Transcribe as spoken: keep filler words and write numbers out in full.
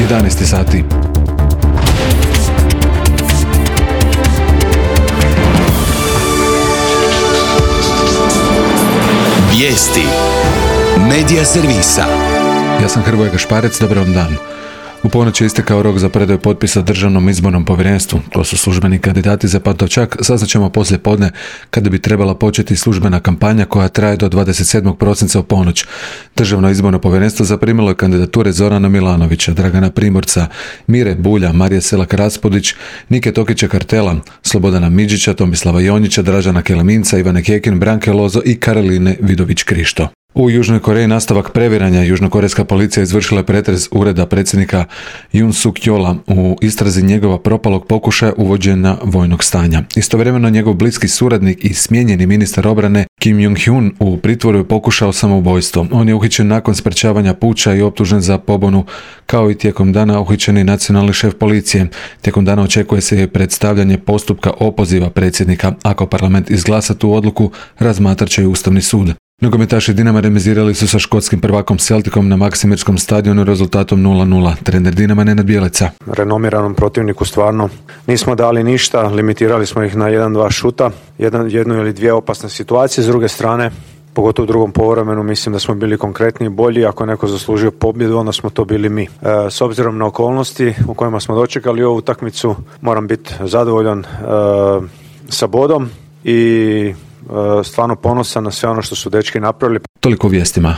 jedanaest sati. Vijesti Medija servisa. Ja sam Hrvoje Gašparec, dobar vam dan. U ponoć je istekao rok za predaju potpisa Državnom izbornom povjerenstvu. To su službeni kandidati za Pantovčak. Saznaćemo poslije podne kada bi trebala početi službena kampanja koja traje do dvadeset sedmog prosinca u ponoć. Državno izborno povjerenstvo zaprimilo je kandidature Zorana Milanovića, Dragana Primorca, Mire Bulja, Marije Selak Raspudić, Nike Tokića Kartela, Slobodana Midžića, Tomislava Jonjića, Dražana Keleminca, Ivane Kekin, Branke Lozo i Karoline Vidović Krišto. U Južnoj Koreji nastavak previranja. Južnokorejska policija izvršila je pretres ureda predsjednika Yoon Suk Yeola u istrazi njegova propalog pokušaja uvođenja vojnog stanja. Istovremeno njegov bliski suradnik i smijenjeni ministar obrane Kim Jong-hyun u pritvoru je pokušao samoubojstvo. On je uhićen nakon sprečavanja puča i optužen za pobunu, kao i tijekom dana uhićeni nacionalni šef policije. Tijekom dana očekuje se predstavljanje postupka opoziva predsjednika. Ako parlament izglasa tu odluku, razmatrat će i Ustavni sud. Nogometaši Dinama remizirali su sa škotskim prvakom Celticom na Maksimirskom stadionu rezultatom nula nula. Trener Dinama Nenad Bjelica. Renomiranom protivniku stvarno nismo dali ništa, limitirali smo ih na jedan dva šuta, jedan, jednu ili dvije opasne situacije. S druge strane, pogotovo u drugom poluvremenu, mislim da smo bili konkretni i bolji. Ako je neko zaslužio pobjedu, onda smo to bili mi. E, s obzirom na okolnosti u kojima smo dočekali ovu utakmicu, moram biti zadovoljan e, sa bodom i stvarno ponosan na sve ono što su dečki napravili. Toliko vijestima.